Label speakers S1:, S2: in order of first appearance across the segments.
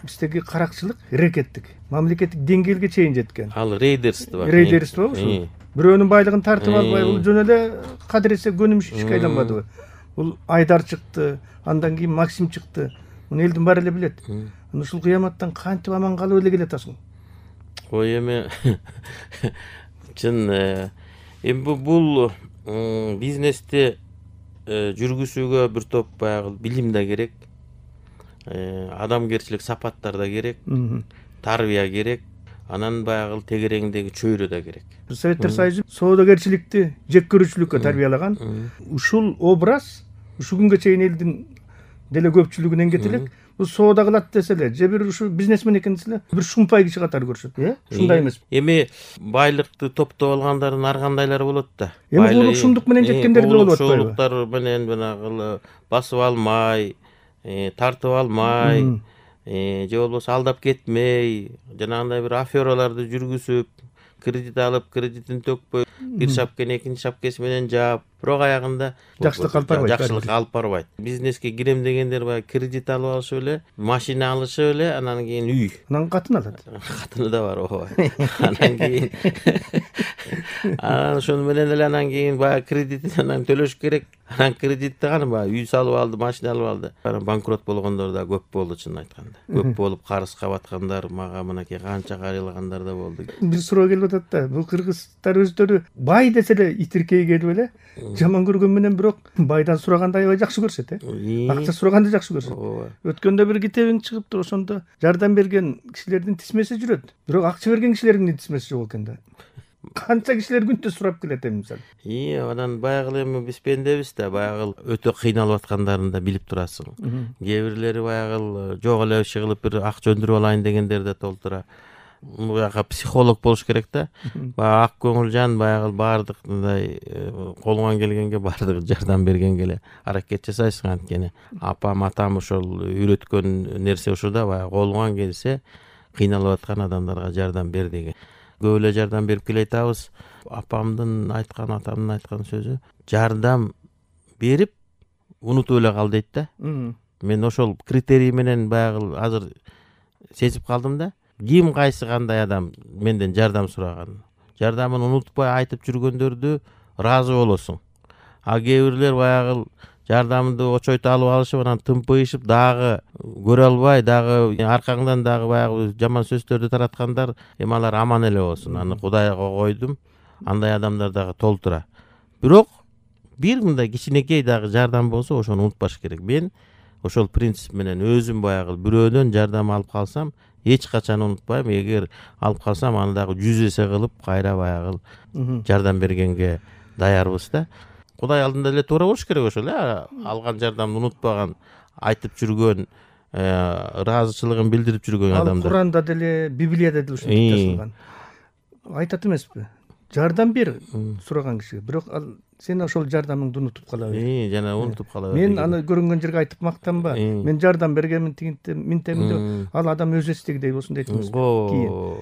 S1: биздеги каракчылык рекеттик мамлекеттик деңгээлге чейин жеткен.
S2: Ал рейдерство
S1: Ушул бирөөнүн байлыгын тартып албай, бул жөн эле кадыресе көнүмүш ишке айланбадыбы? Бул Айдар чыкты, андан кийин Максим чыкты. Муну элдин баары эле билет. Ушул кыяматтан кантип аман калып эле келатасың?
S2: Ой эми чын бул бизнести жүргүзүүгө бир топ баягы билим да керек, адамгерчилик сапаттар да керек, тарбия керек, анан баягы тегереңдеги чөйрө да керек.
S1: Советтер Союзу соодагерчиликти жек көрүүчүлүккө тарбиялаган. Ушул образ ушу күнгө чейин элдин деле көпчүлүгүнөн кетелек. Бул соода кылат десе эле, же бир ушу бизнесмен экен десе эле, бир шумпай киши катары көрүшөт, ушундай эмеспи?
S2: Эми байлыкты топтоп алгандардын ар кандайлары болот да.
S1: Эми улукшумдук менен жеткендер да болуп атпайбы?
S2: Улукшуулуктар менен жанагы басып алмай, тартып алмай, же болбосо алдап кетмей, жанагындай бир афераларды жүргүзүп, кредит алып, кредитин төкпөй, бир шапкени экинчи шапкеси менен жаап, бирок аягында
S1: жакшылыкка алып барбайт.
S2: Жакшылыкка алып барбайт. Бизнеске кирем дегендер баягы кредит алып алышып эле, машина алышып эле, анан кийин үй.
S1: Анан катын алат.
S2: Катыны да бар, ооба. Анан кийин ошону менен эле анан кийин баягы кредитин анан төлөш керек. Анан кредитти кана баягы үй салып алды, машина алып алды. Анан банкрот болгондор да көп болду, чынын айтканда. Көп болуп карызга баткандар, мага мынакей канча кайрылгандар да болду.
S1: Бир суроо келип атат да, бул кыргыздар өздөрү бай десе эле итиркей келип эле, жаман көргөн менен бирок байдан сураганда аябай жакшы көрүшөт, акча сураганда жакшы көрүшөт. Өткөндө бир китебиң чыгыптыр, ошондо жардам берген кишилердин тизмеси жүрөт, бирок акча берген кишилердин тизмеси жок экен да. Канча кишилер күнтө сурап келет эми мисалы.
S2: Анан баягы эми биз пендебиз да, баягы өтө кыйналып аткандарын да билип турасың. Кээ бирлери баягы жок эле иши кылып бир акча өндүрүп алайын дегендер да толтура. Буяка психолог болуш керек да. Баягы ак көңүл жан, баягы баардык мындай колуңан келгенге баардык жардам бергенге эле аракет жасайсың. Анткени апам, атам ошол үйрөткөн нерсе ушул да, баягы колуңан келсе кыйналып аткан адамдарга жардам бер деген. Көп эле жардам берип келе атабыз. Апамдын айткан, атамдын айткан сөзү жардам берип унутуп эле кал дейт да. Мен ошол критерий менен баягы азыр сезип калдым да. Ким кайсы кандай адам менден жардам сураган. Жардамын унутпай айтып жүргөндөрдү ыраазы болосуң. А кээ бирлер баягы жардамды очойто алып алышып, анан тымпыйышып, дагы көрө албай, дагы аркаңдан дагы баягы жаман сөздөрдү тараткандар, эми алар аман эле болсун. Аны Кудайга койдум. Андай адамдар дагы толтура. Бирок бир мындай кичинекей дагы жардам болсо, ошону унутпаш керек. Мен ошол принцип менен өзүм баягы бирөөдөн жардам алып калсам, эч качан унутпайм. Эгер алып калсам, аны дагы 100 эсе кылып кайра баягы жардам бергенге даярбыз да. Кудай алдында эле туура болуш керек ошол, алган жардамды унутпаган, айтып жүргөн, ыраазычылыгын билдирип жүргөн адамдар.
S1: Ал Куранда деле, Библияда деле ушинтип жазылган. Айтат эмеспи? Жардам бер сураган кишиге, бирок сен ошол жардамыңды унутуп кала бер.
S2: Жана унутуп кала бер.
S1: Мен аны көрүнгөн жерге айтып мактанба. Мен жардам бергенмин, минтемин деп, ал адам өзү эстегидей болсун дейт эмеспи? Кийин.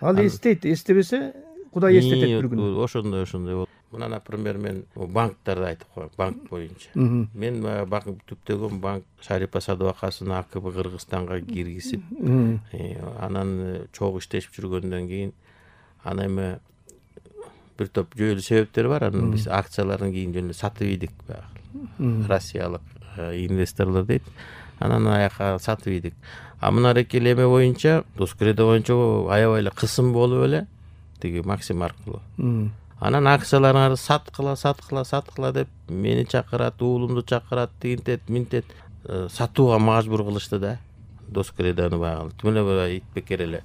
S1: Ал эстейт, эстебесе Кудай эстетет бир күнү.
S2: Ошондой болот. Мына, например, мен банктарды айтып коем, банк боюнча. Мен банк түптөгөн банк Шарипа Садыбакасыны АКБ Кыргызстанга киргизип, анан чогуу иштешип жүргөндөн кийин, аны эми бир топ жүйөлүү себептери бар. Анан биз акцияларын кийин жөн эле сатып ийдик баягы. Россиялык инвесторлор дейт. Анан аяка сатып ийдик. А мына рекел эме боюнча, Доскредо боюнча аябай эле кысым болуп эле, тиги Максим аркылуу. Анан акцияларыңарды саткыла деп мени чакырат, уулумду чакырат, тигинтет, минтет, сатууга мажбур кылышты да. Доскредону баягы тим эле итбекер эле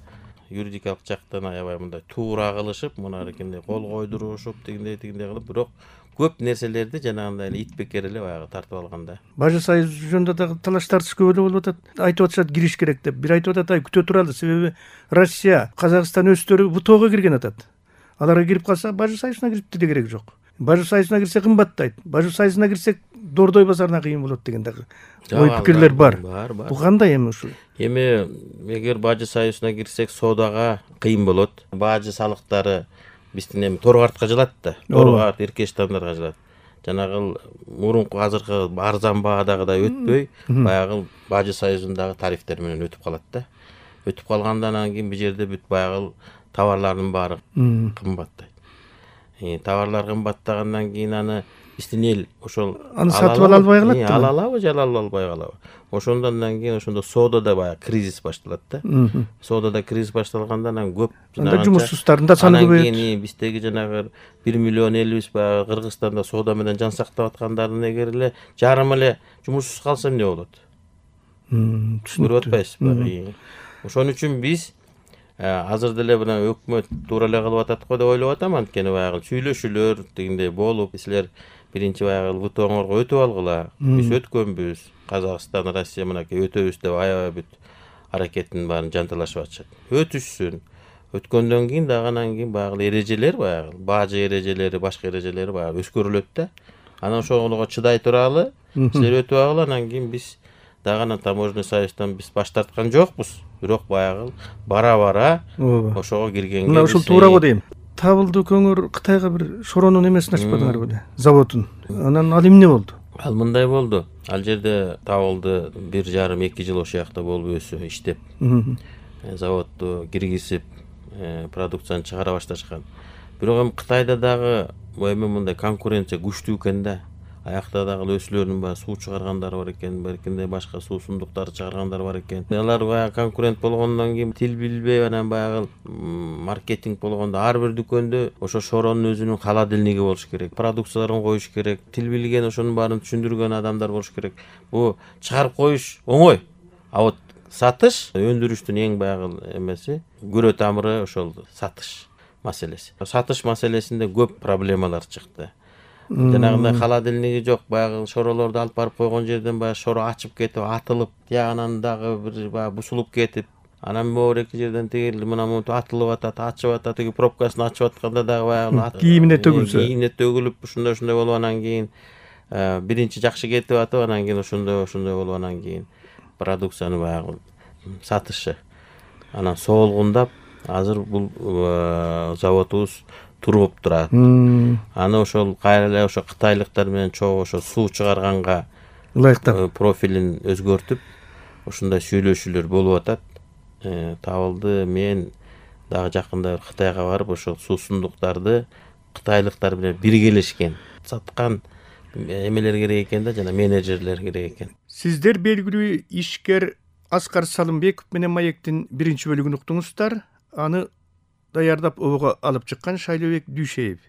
S2: юридикалык жактан аябай мындай туура кылышып, мына рекенде кол койдурушуп, тигиндей кылып, бирок көп нерселерди жанагындай эле итбекер эле баягы тартып алганда.
S1: Бажы Союз жөнүндө дагы талаш тартыш көп эле болуп атат. Айтып атышат кириш керек деп. Бир айтып атат, күтө туралы, себеби Россия, Казакстан өздөрү ВТОго кирген атат. Аларга кирип калса, Бажы Союзуна кирип де керек жок. Бажы Союзуна кирсе кымбаттайт. Бажы Союзуна кирсек Дордой базарына кыйын болот деген дагы ой пикирлер бар. Бул кандай эми ушул?
S2: Эми эгер Бажы Союзуна кирсек соодага кыйын болот. Бажы салыктары биздин эми торгартка жылат да. Торгарт, Иркештандарга жылат. жанагы мурунку азыркы арзан баадагыдай өтпөй баягы Бажы союзундагы тарифтер менен өтүп калат да. Өтүп калгандан кийин бул жерде бүт баягы товарлардын баары кымбаттайт. Товарлар кымбаттагандан кийин аны биздин эл ошол
S1: аны сатып ала албай калат да.
S2: Ала алабы же ала албай калабы. Ошондон кийин ошондо соодада баягы кризис башталат да. Соодада кризис башталгандан анан көп
S1: анда жумушсуздардын да саны көбөйөт.
S2: Анан кийин биздеги жанагы 1 миллион элибиз баягы Кыргызстанда соода менен жан сактап аткандардын эгер эле жарым эле жумушсуз калса эмне болот? Көрүп атпайсызбы? Ошон үчүн биз азыр деле мына өкмөт туура эле кылып атат го деп ойлоп атам. Анткени баягы сүйлөшүүлөр дегендей болуп, силер биринчи баягы ВТОңорго өтүп алгыла. Биз өткөнбүз. Казакстан, Россия мынакей өтөбүз деп аябай бүт аракеттин баарын жанталашып атышат. Өтүшсүн. Өткөндөн кийин дагы анан кийин баягы эрежелер, баягы бажы эрежелери, башка эрежелери баягы өскөрүлөт да. Анан ошого чыдай туралы, силер өтүп алгыла, анан кийин биз дагы анан таможенный союздан биз баш тарткан жокпуз. Бирок баягы бара-бара ошого киргенге
S1: мына ушул туура го дейм. Табылды көңүр Кытайга бир шоронун эмесин ачпадыңар беле? Заводун. Анан ал эмне болду?
S2: Ал мындай болду. Ал жерде Табылды 1,5-2 жыл ошол жакта болуп өсүп иштеп, заводду киргизип, продукцияны чыгара башташкан. Бирок эми Кытайда дагы эми мындай конкуренция күчтүү экен да. Аякта дагы өсүлөрүнүн баары суу чыгаргандар бар экен, беркинде башка суусундуктарды чыгаргандар бар экен. Алар баягы конкурент болгондон кийин тил билбей, анан баягы маркетинг болгондо ар бир дүкөндө ошо шоронун өзүнүн холодильниги болуш керек. Продукцияларын коюш керек. Тил билген, ошонун баарын түшүндүргөн адамдар болуш керек. Бу чыгарып коюш оңой. А вот сатыш, өндүрүштүн эң баягы эмеси, күрө тамыры ошол сатыш маселеси. Сатыш маселесинде көп проблемалар чыкты. Жанагындай холодильниги жок, баягы шоролорду алып барып койгон жерден баягы шоро ачып кетип, атылып, тиягынан дагы бир баягы бусулуп кетип, анан могу эки жерден тигил мына монтип атылып атат, ачып атат, тиги пробкасын ачып атканда дагы баягы
S1: кийимине төгүлсө,
S2: кийимине төгүлүп, ушундай болуп анан кийин биринчи жакшы кетип атып, анан кийин ошондой болуп анан кийин продукцияны баягы сатышы анан соолгундап, азыр бул заводубуз туруп турат. Аны ошол кайра эле ошо кытайлыктар менен чогуу ошо суу чыгарганга ылайыктап профилин өзгөртүп, ушундай сүйлөшүүлөр болуп атат. Табылды мен дагы жакында Кытайга барып ошол суусундуктарды кытайлыктар менен биргелешкен саткан эмелер керек экен да, жана менеджерлер керек экен.
S1: Сиздер белгилүү ишкер Аскар Салымбеков менен Маектин биринчи бөлүгүн уктуңуздар. Аны даярдап обого алып чыккан Шайлообек Дүйшеев.